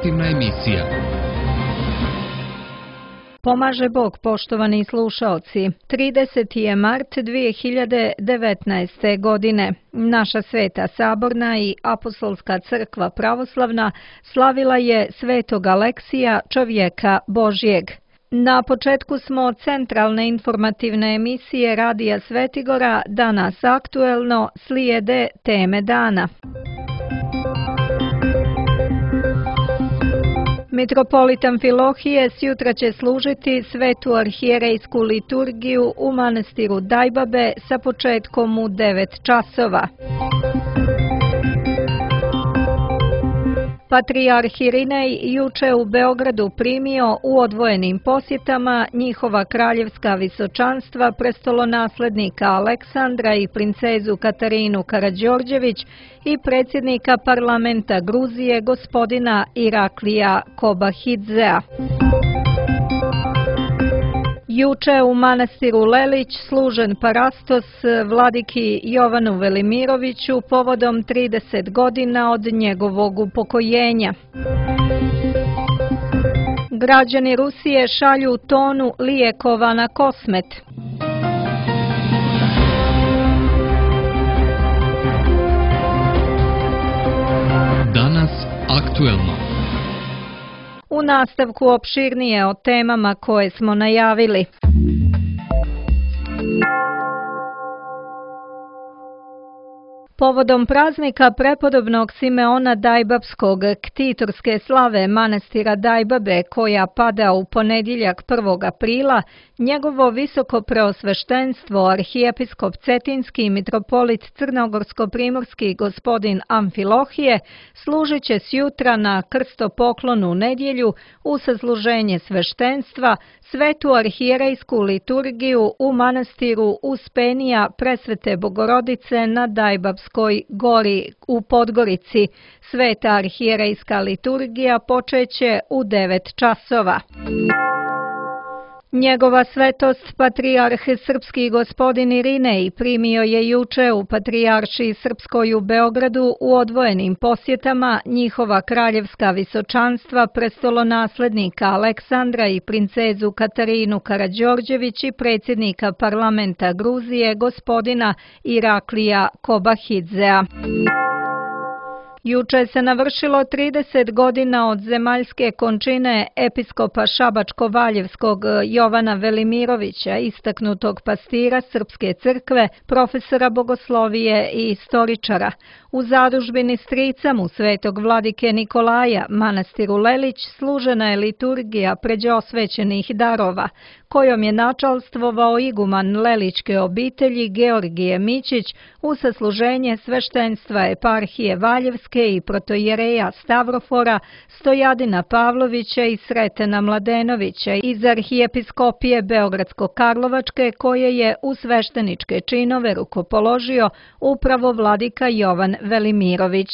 informativna emisija. Pomaže Bog, poštovani slušaoci. 30. je mart 2019. godine. Naša Sveta Saborna i Apostolska crkva pravoslavna slavila je Svetog Aleksija, čovjeka Božjeg. Na početku smo centralne informativne emisije Radija Svetigora, danas aktuelno, slijede teme dana. Mitropolit Amfilohije sjutra će služiti svetu arhijerejsku liturgiju u manastiru Dajbabe sa početkom u 9 časova. Patrijarh Irinej juče u Beogradu primio u odvojenim posjetama njihova kraljevska visočanstva prestolonaslednika Aleksandra i princezu Katarinu Karađorđević i predsjednika parlamenta Gruzije gospodina Iraklija Kobahidzea. Juče u manastiru Lelić služen parastos vladiki Jovanu Velimiroviću povodom 30 godina od njegovog upokojenja. Građani Rusije šalju tonu lijekova na Kosmet. Danas aktuelno. U nastavku opširnije o temama koje smo najavili. Povodom praznika prepodobnog Simeona Dajbabskog ktitorske slave manastira Dajbabe, koja pada u ponedjeljak 1. aprila, njegovo visoko preosveštenstvo arhijepiskop Cetinski mitropolit Crnogorsko-primorski gospodin Amfilohije služit će sjutra na krstopoklonu nedjelju u sasluženje sveštenstva svetu arhijerejsku liturgiju u manastiru Uspenija Presvete Bogorodice na Dajbabskoj gori u Podgorici. Sveta arhijerejska liturgija počeće u 9 časova. Njegova svetost, patrijarh srpski gospodin Irinej, primio je juče u Patrijaršiji Srpskoj u Beogradu u odvojenim posjetama njihova kraljevska visočanstva prestolonaslednika Aleksandra i princezu Katarinu Karađorđević i predsjednika parlamenta Gruzije gospodina Iraklija Kobahidzea. Juče se navršilo 30 godina od zemaljske končine episkopa Šabačko-Valjevskog Jovana Velimirovića, istaknutog pastira Srpske crkve, profesora bogoslovije i istoričara. U zadužbini strica mu svetog vladike Nikolaja, manastiru Lelić, služena je liturgija pređe osvećenih darova, kojom je načalstvovao iguman Lelićke obitelji Georgije Mićić u sasluženje sveštenstva eparhije Valjevske i protojereja Stavrofora, Stojadina Pavlovića i Sretena Mladenovića iz arhijepiskopije Beogradsko-Karlovačke, koje je u svešteničke činove rukopoložio upravo vladika Jovan Velimirović.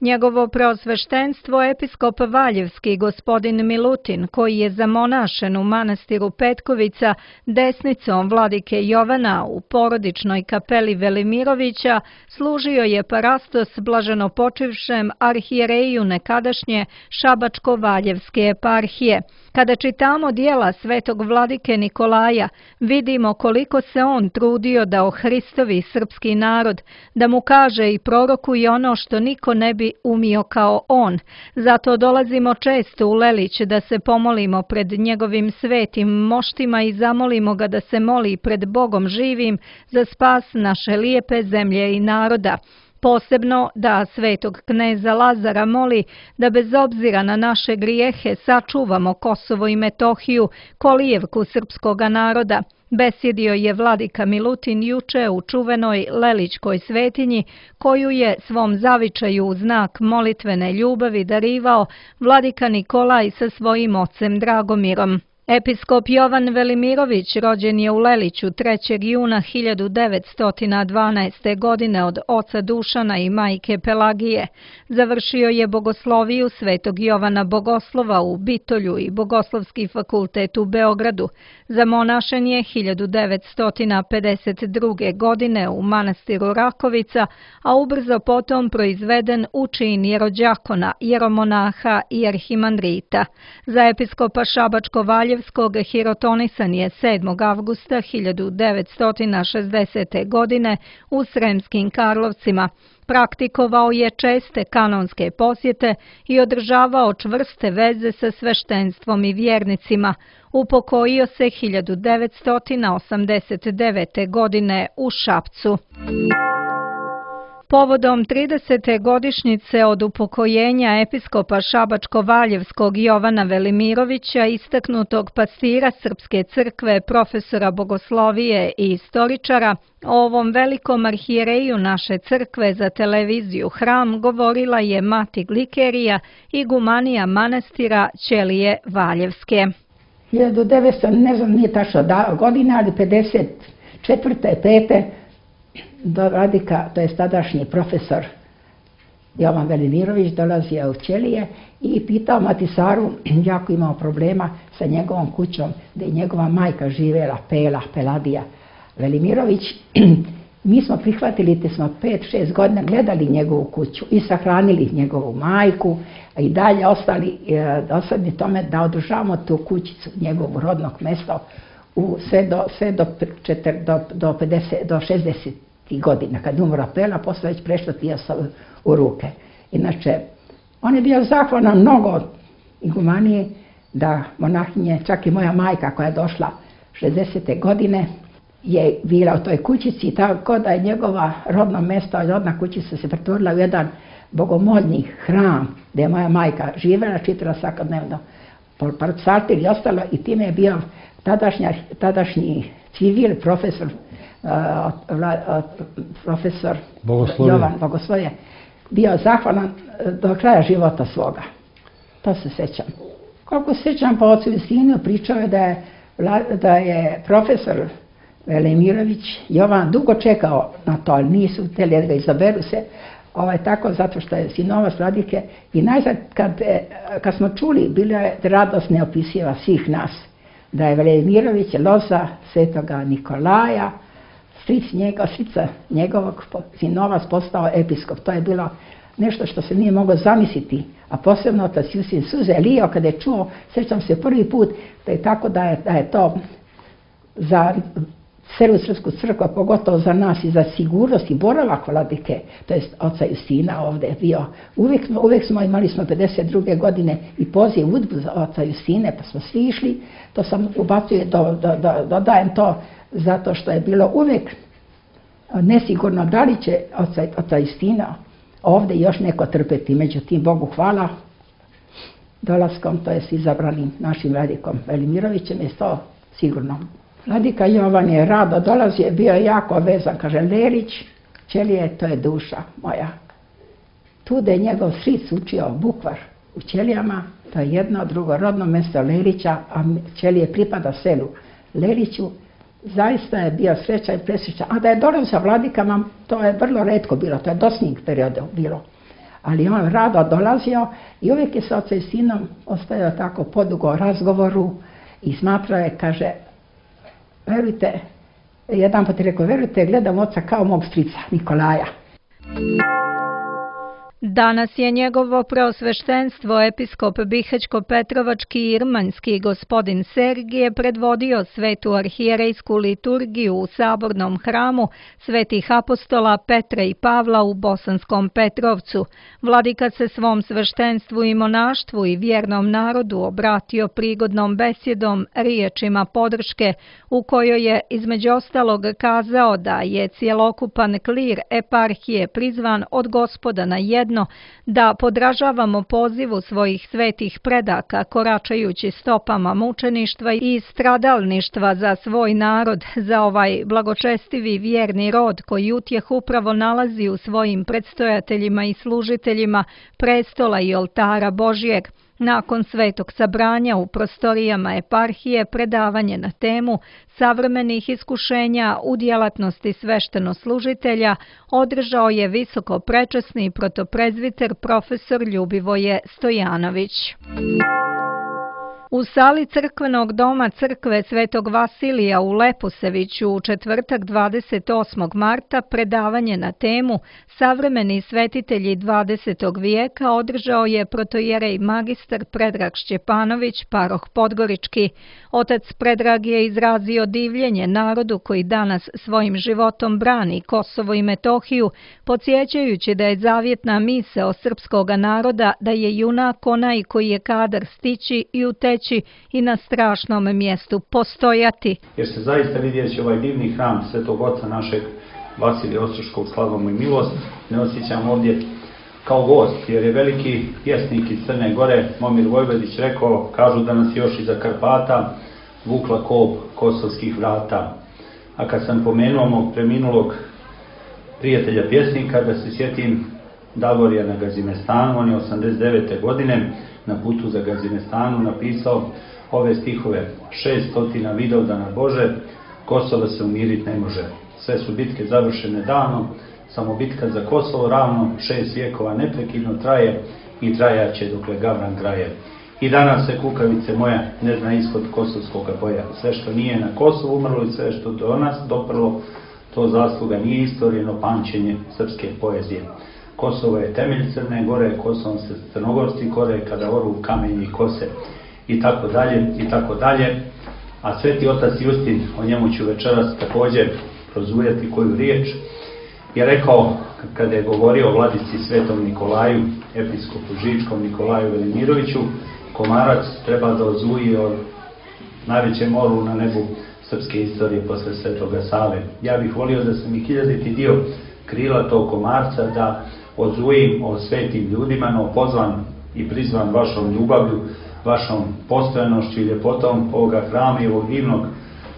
Njegovo preosveštenstvo episkop Valjevski gospodin Milutin, koji je zamonašen u manastiru Petkovica desnicom vladike Jovana u porodičnoj kapeli Velimirovića, služio je parastos blaženopočivšem arhijereju nekadašnje Šabačko-Valjevske eparhije. Kada čitamo dijela svetog vladike Nikolaja, vidimo koliko se on trudio da ohristovi srpski narod, da mu kaže i prorokuje ono što niko ne bi umio kao on. Zato dolazimo često u Lelić da se pomolimo pred njegovim svetim moštima i zamolimo ga da se moli pred Bogom živim za spas naše lijepe zemlje i naroda. Posebno da svetog kneza Lazara moli da bez obzira na naše grijehe sačuvamo Kosovo i Metohiju, kolijevku srpskoga naroda. Besjedio je vladika Milutin juče u čuvenoj Lelićkoj svetinji, koju je svom zavičaju u znak molitvene ljubavi darivao vladika Nikolaj sa svojim ocem Dragomirom. Episkop Jovan Velimirović rođen je u Leliću 3. juna 1912. godine od oca Dušana i majke Pelagije. Završio je bogosloviju Svetog Jovana Bogoslova u Bitolju i Bogoslovski fakultet u Beogradu. Zamonašen je 1952. godine u manastiru Rakovica, a ubrzo potom proizveden u čin jerođakona, jeromonaha i arhimandrita. Za episkopa Šabačko-Valjevskog hirotonisan je 7. avgusta 1960. godine u Sremskim Karlovcima. Praktikovao je česte kanonske posjete i održavao čvrste veze sa sveštenstvom i vjernicima. Upokojio se 1989. godine u Šapcu. Povodom 30. godišnjice od upokojenja episkopa Šabačko-Valjevskog Jovana Velimirovića, istaknutog pastira Srpske crkve, profesora bogoslovije i istoričara, o ovom velikom arhijereju naše crkve za televiziju Hram govorila je mati Glikerija, igumanija manastira Ćelije Valjevske. 1900, ne znam, nije tačno godina, ali 54. 5. do Vladika, to je tadašnji profesor Jovan Velimirović, dolazio u Ćelije i pitao mati Saru, jako imao problema sa njegovom kućom, gdje je njegova majka živjela, Peladija Velimirović. Mi smo prihvatili, te smo 5-6 godina gledali njegovu kuću i sahranili njegovu majku, a i dalje ostali tome da održavamo tu kućicu, njegovu rodnog mjesta, sve do 60 godina. Kad umro Pela, posle već prešlo Tijasa u ruke. Inače, on je bio zahvalan mnogo igumanije da monahinje, čak i moja majka koja je došla 60. godine, je bila u toj kućici, tako da je njegova rodno mjesto, rodna kućica se pretvorila u jedan bogomolni hram, gdje je moja majka živjela, čitala svakodnevno psaltir i ostalo, i time je bio tadašnji civil, profesor Jovan Bogoslovije, bio zahvalan do kraja života svoga. To se sjećam. Koliko se sjećam, po ocu i sinu pričao je da je profesor Velimirović Jovan dugo čekao na to, ali nisu htjeli da ga izaberu se, tako zato što je sinovac Vladike. I najzad kad smo čuli, bila je radost neopisiva svih nas, da je Velimirović loza Svetoga Nikolaja, strica njegovog sinovac postao episkop. To je bilo nešto što se nije moglo zamisliti, a posebno otac Jusin suze lio kada je čuo, sjećam se prvi put, da je tako da je to za celu Srpsku crkvu, pogotovo za nas i za sigurnost i boravak Vladike, to je oca Justina ovdje bio. Uvijek imali smo 52. godine i poziv udbu za oca Justine, pa smo svi išli. To sam ubacujem, dodajem to zato što je bilo uvijek nesigurno da li će oca Justina ovdje još neko trpeti. Međutim, Bogu hvala, dolaskom, to je izabranim našim Vladikom Velimirovićem, je to sigurno. Vladika Jovan je rado dolazio, bio je jako vezan, kaže Lelić, Ćelije, to je duša moja. Tu da je njegov stric učio bukvar u Ćelijama, to je jedno, drugo rodno mjesto Lelića, a Ćelije pripada selu Leliću. Zaista je bio srećan i presrećan. A da je dolazio vladikama, to je vrlo retko bilo, to je dosta perioda bilo. Ali on rado dolazio i uvijek je sa ocem i sinom ostajao tako podugo razgovoru i smatrao je, kaže, verujte, jedan put je rekao, verujte, gledam oca kao mog strica Nikolaja. Danas je njegovo preosveštenstvo episkop Bihać-Petrovački i Irmanjski gospodin Sergije predvodio svetu arhijerejsku liturgiju u sabornom hramu svetih apostola Petra i Pavla u Bosanskom Petrovcu. Vladika se svom sveštenstvu i monaštvu i vjernom narodu obratio prigodnom besjedom, riječima podrške, u kojoj je između ostalog kazao da je cjelokupan klir eparhije prizvan od Gospoda na jedno, da podražavamo pozivu svojih svetih predaka koračajući stopama mučeništva i stradalništva za svoj narod, za ovaj blagočestivi vjerni rod koji utjeh upravo nalazi u svojim predstojateljima i služiteljima prestola i oltara Božjeg. Nakon svetog sabranja u prostorijama eparhije predavanje na temu savremenih iskušenja u djelatnosti sveštenoslužitelja održao je visoko prečasni protoprezbiter profesor Ljubivoje Stojanović. U sali crkvenog doma crkve Svetog Vasilija u Leposeviću u četvrtak 28. marta predavanje na temu Savremeni svetitelji 20. vijeka održao je protojerej magistar Predrag Šćepanović, paroh Podgorički. Otac Predrag je izrazio divljenje narodu koji danas svojim životom brani Kosovo i Metohiju, podsjećajući da je zavjetna misao srpskoga naroda da je junak onaj koji je kadar stići i uteći i na strašnom mjestu postojati. Jer se zaista vidjeći ovaj divni hram Svetog Oca našeg Vasilija Ostroškog, slavu mu i milost, ne osjećam ovdje kao gost, jer je veliki pjesnik iz Crne Gore, Momir Vojvodić, rekao, kažu da nas još iza Karpata vukla kop kosovskih vrata. A kad sam pomenuo mog preminulog prijatelja pjesnika, da se sjetim Davorija na Gazimestanu, on je 89. godine na putu za Gazimestanu napisao ove stihove: 600 Vidovdana Bože, Kosovo se umirit ne može. Sve su bitke završene davno, samo bitka za Kosovo ravno, 6 vijekova neprekidno traje i trajaće dokle Gavran graje. I danas se kukavice moja ne zna ishod kosovskog boja. Sve što nije na Kosovu umrlo i sve što do nas doprlo, to zasluga nije istorijeno pamćenje srpske poezije. Kosovo je temelj Crne Gore, Kosovom se Crnogorci kore kada oru kamenji kose. I tako dalje, i tako dalje. A Sveti otac Justin, o njemu ću večeras također prozujati koju riječ, je rekao, kada je govorio o vladici Svetom Nikolaju, episkopu Žičkom Nikolaju Velimiroviću, komarac treba da ozuji o najvećem orlu na nebu srpske istorije posle Svetoga Save. Ja bih volio da sam i 1000. dio krila tog komarca da ozujim o svetim ljudima, no pozvan i prizvan vašom ljubavlju, vašom postojanošću i ljepotom ovoga hrama i ovog divnog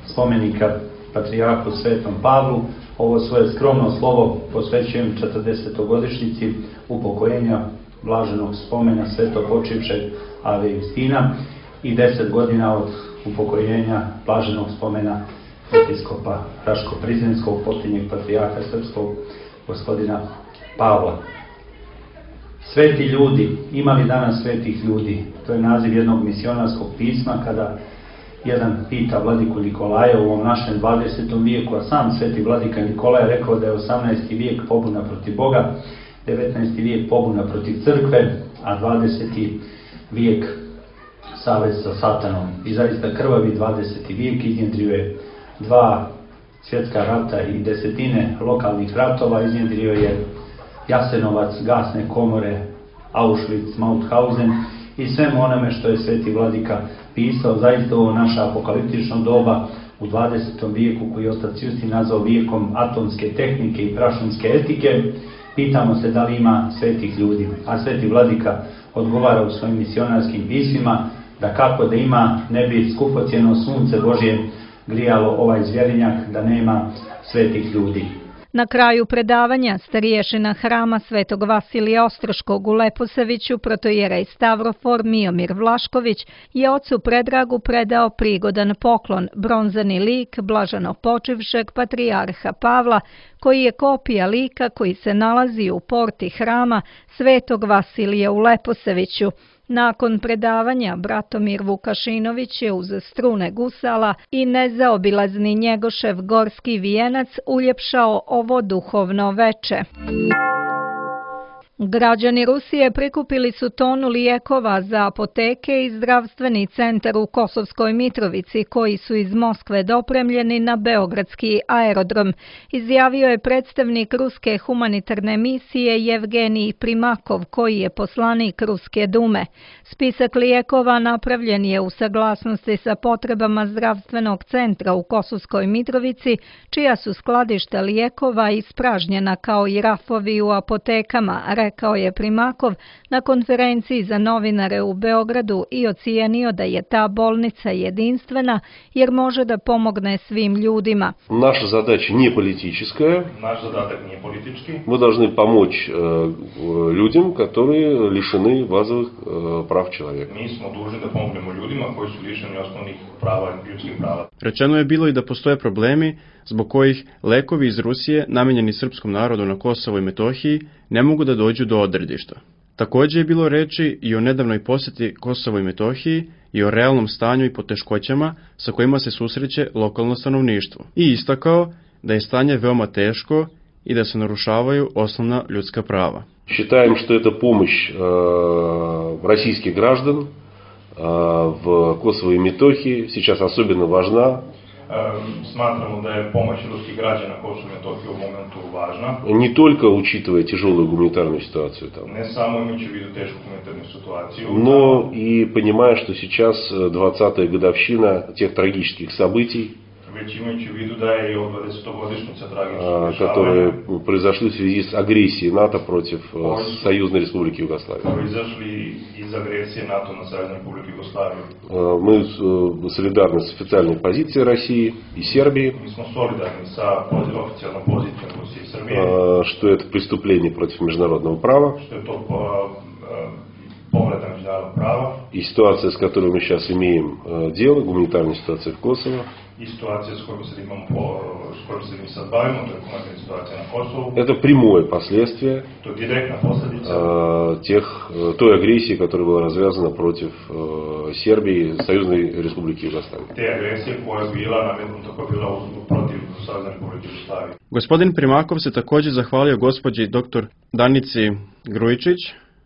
spomenika Patrijarhu Svetom Pavlu. Ovo svoje skromno slovo posvećujem 40-godišnjici upokojenja blaženog spomena svetopočivšeg Ave Justina i 10 godina od upokojenja blaženog spomena episkopa Raško-Prizrenskog, posljednjeg patrijarha srpskog, gospodina Pavla. Sveti ljudi, ima li danas svetih ljudi? To je naziv jednog misionarskog pisma kada jedan pita vladiku Nikolaja u ovom našem 20. vijeku, a sam sveti vladika Nikolaj je rekao da je 18. vijek pobuna protiv Boga, 19. vijek pobuna protiv crkve, a 20. vijek savez sa satanom. I zaista krvavi 20. vijek iznjedrio je 2 svjetska rata i 10 lokalnih ratova, iznjedrio je Jasenovac, gasne komore, Auschwitz, Mauthausen i svemu onome što je sveti vladika pisao. Zaista ovo naše apokaliptično doba u 20. vijeku, koji je otac Justin nazvao vijekom atomske tehnike i prašumske etike, pitamo se da li ima svetih ljudi. A sveti vladika odgovara u svojim misionarskim pismima da kako da ima, ne bi skupocjeno sunce Božje grijalo ovaj zvjerinjak, da nema svetih ljudi. Na kraju predavanja stariješina hrama Svetog Vasilija Ostroškog u Leposeviću, protojerej Stavrofor Miomir Vlašković, je ocu Predragu predao prigodan poklon, bronzani lik blaženopočivšeg patrijarha Pavla, koji je kopija lika koji se nalazi u porti hrama Svetog Vasilija u Leposeviću. Nakon predavanja Bratomir Vukašinović je uz strune gusala i nezaobilazni Njegošev gorski vijenac uljepšao ovo duhovno veče. Građani Rusije prikupili su tonu lijekova za apoteke i zdravstveni centar u Kosovskoj Mitrovici, koji su iz Moskve dopremljeni na beogradski aerodrom, izjavio je predstavnik Ruske humanitarne misije Jevgenij Primakov, koji je poslanik Ruske dume. Spisak lijekova napravljen je u saglasnosti sa potrebama zdravstvenog centra u Kosovskoj Mitrovici, čija su skladišta lijekova ispražnjena kao i rafovi u apotekama, rekao je Primakov na konferenciji za novinare u Beogradu i ocijenio da je ta bolnica jedinstvena jer može da pomogne svim ljudima. Naša zadaća nije politička. Наш задаток не политический. Мы должны помочь людям, которые лишены базовых прав человека. Mi smo dužni da pomognemo ljudima koji su lišeni osnovnih prava i ljudskih prava. Rečeno je bilo i da postoje problemi zbog kojih lekovi iz Rusije namenjeni srpskom narodu na Kosovo i Metohiji ne mogu da dođu do odredišta. Također je bilo reči i o nedavnoj posjeti Kosovo i Metohiji i o realnom stanju i poteškoćama sa kojima se susreće lokalno stanovništvo. I istakao da je stanje veoma teško i da se narušavaju osnovna ljudska prava. Считаем, что эта помощь российских граждан в Косово и Метохии сейчас особенно важна. Smatramo da je pomoć ruskih građana Kosovo i Metohije u momentu važna. Не только учитывая тяжелую гуманитарную ситуацию там, Ne samo imajući u vidu tešku humanitarnu situaciju, но и понимая, что сейчас 20-я годовщина тех трагических событий, već imajući u vidu da je i od 20-godišnjica tragičnog которые dešavanja произошли в связи с агрессией НАТО против Союзной Республики Югославии. proizašli iz agresije NATO na Saveznu Republiku Jugoslaviju. Мы солидарны с официальной позицией России и Сербии, Mi smo solidarni sa oficijalnom pozicijom Rusije i Srbije, что это преступление против международного права. što je to povreda međunarodnog prava И ситуация, с которой мы сейчас имеем дело, гуманитарная ситуация в Kosovo, i situacija s kojom se mi sad bavimo, to je humanitarna situacija na Kosovu. это прямое последствие To je direktna posljedica той агрессии, которая была развязана против Сербии, Союзной Республики Югославии. te agresije koja je bila nametnuta, koja je bila protiv Savezne Republike Jugoslavije. Gospodin Primakov se također zahvalio gospođi dr. Danici Grujičić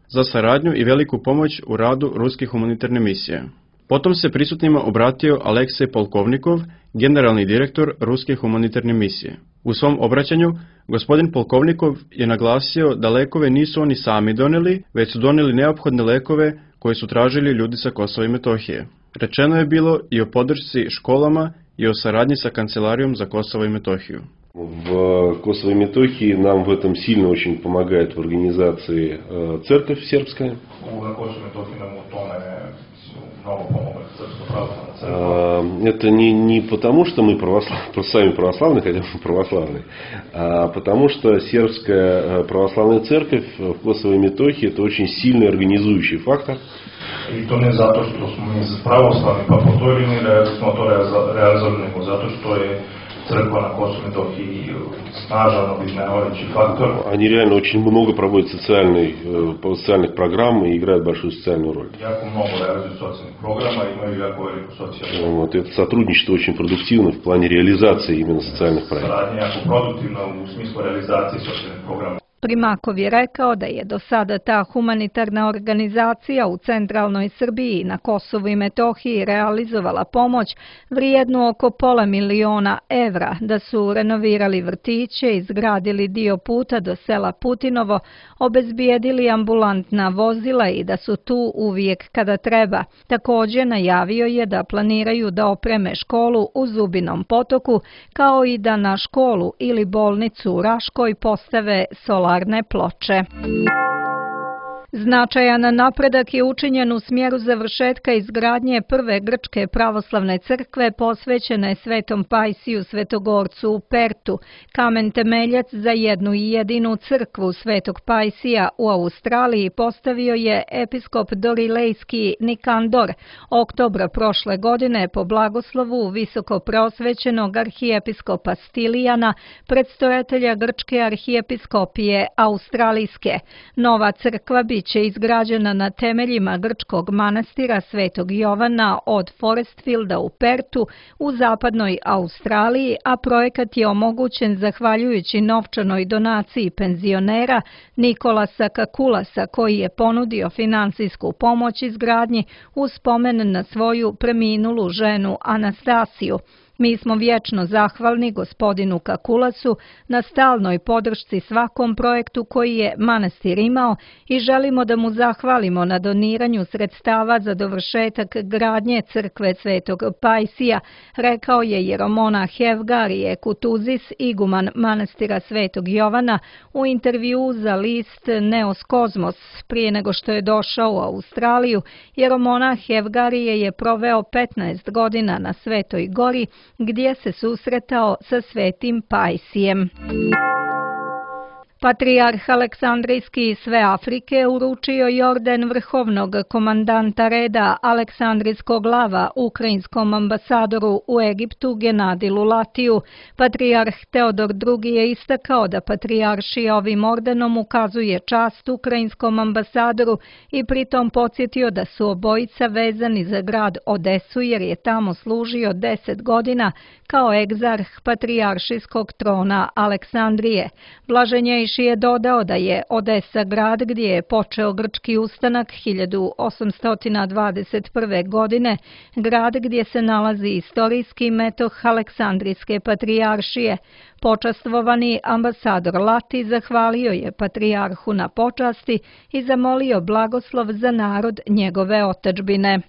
za saradnju i veliku pomoć u radu ruske humanitarne misije. Potom se prisutnima obratio Aleksej Polkovnikov, generalni direktor ruske humanitarne misije. U svom obraćanju, gospodin Polkovnikov je naglasio da lekove nisu oni sami doneli, već su doneli neophodne lekove koje su tražili ljudi sa Kosova i Metohije. Rečeno je bilo i o podršci školama i o saradnji sa Kancelarijom za Kosovo i Metohiju. В Косово и Метохии нам в этом сильно очень помогает в организации церковь сербская. Na Kosovu i Metohiji nam u tome mnogo pomogla Srpska pravoslavna crkva. Это не потому, что мы сами православные, хотя мы православные, а потому что сербская православная церковь в Косово и Метохии это очень сильный организующий фактор. I to ne zato što smo mi pravoslavni pa po toj liniji smo to realizovali, nego zato što je crkva na Kosovu i Metohiji snažan objedinjavajući faktor. Они реально очень много проводят социальных программ и играют большую социальную роль. Jako mnogo realizuju socijalnih programa i imaju jako veliku socijalnu. Это сотрудничество очень продуктивно в плане реализации именно социальных проектов. Saradnja je jako produktivna u smislu realizacije socijalnih programa. Primakov je rekao da je do sada ta humanitarna organizacija u centralnoj Srbiji na Kosovu i Metohiji realizovala pomoć vrijednu oko $500.000 evra, da su renovirali vrtiće, izgradili dio puta do sela Putinovo, obezbijedili ambulantna vozila i da su tu uvijek kada treba. Također najavio je da planiraju da opreme školu u Zubinom Potoku, kao i da na školu ili bolnicu u Raškoj postave solarne ploče. Značajan napredak je učinjen u smjeru završetka izgradnje prve grčke pravoslavne crkve posvećene Svetom Pajsiju Svetogorcu u Pertu, kamen temeljac za jednu i jedinu crkvu Svetog Pajsija u Australiji postavio je episkop Dorilejski Nikandor oktobra prošle godine po blagoslovu visoko preosvećenog arhijepiskopa Stilijana, predstojatelja grčke arhijepiskopije Australijske. Nova crkva biće izgrađena na temeljima grčkog manastira Svetog Jovana od Forestfielda u Pertu u zapadnoj Australiji, a projekat je omogućen zahvaljujući novčanoj donaciji penzionera Nikolasa Kakulasa, koji je ponudio finansijsku pomoć izgradnji u spomen na svoju preminulu ženu Anastasiju. Mi smo vječno zahvalni gospodinu Kakulasu na stalnoj podršci svakom projektu koji je manastir imao i želimo da mu zahvalimo na doniranju sredstava za dovršetak gradnje crkve Svetog Pajsija, rekao je jeromonah Evgarije Kutuzis, iguman manastira Svetog Jovana, u intervjuu za list Neos Kozmos. Prije nego što je došao u Australiju, jeromonah Evgarije je proveo 15 godina na Svetoj Gori, gdje se susretao sa Svetim Pajsijem. Patrijarh Aleksandrijski sve Afrike uručio je orden vrhovnog komandanta reda Aleksandrijskog lava ukrajinskom ambasadoru u Egiptu Genadi Lulatiju. Patrijarh Teodor II je istakao da patrijaršija ovim ordenom ukazuje čast ukrajinskom ambasadoru i pritom podsjetio da su obojica vezani za grad Odesu jer je tamo služio 10 godina kao egzarh patrijaršijskog trona Aleksandrije. Blaženjejši je dodao da je Odesa grad gdje je počeo grčki ustanak 1821. godine, grad gdje se nalazi istorijski metoh Aleksandrijske patrijaršije. Počastvovani ambasador Lati zahvalio je patrijarhu na počasti i zamolio blagoslov za narod njegove otadžbine.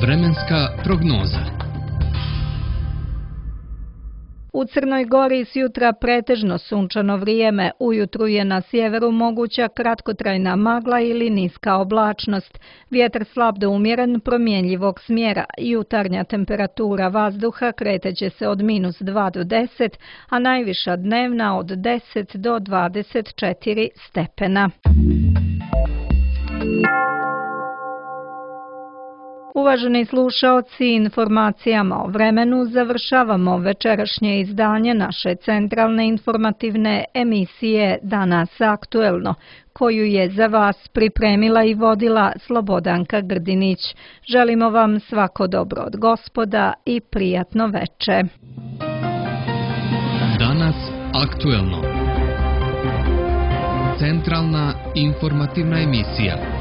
Vremenska prognoza. U Crnoj Gori s jutra pretežno sunčano vrijeme, ujutru je na sjeveru moguća kratkotrajna magla ili niska oblačnost. Vjetar slab do umjeren, promjenjivog smjera. Jutarnja temperatura vazduha kreteće se od -2 do 10, a najviša dnevna od 10 do 24 stepena. Uvaženi slušaoci, informacijama o vremenu završavamo večerašnje izdanje naše centralne informativne emisije Danas aktuelno, koju je za vas pripremila i vodila Slobodanka Grdinić. Želimo vam svako dobro od Gospoda i prijatno veče. Danas aktuelno. Centralna informativna emisija.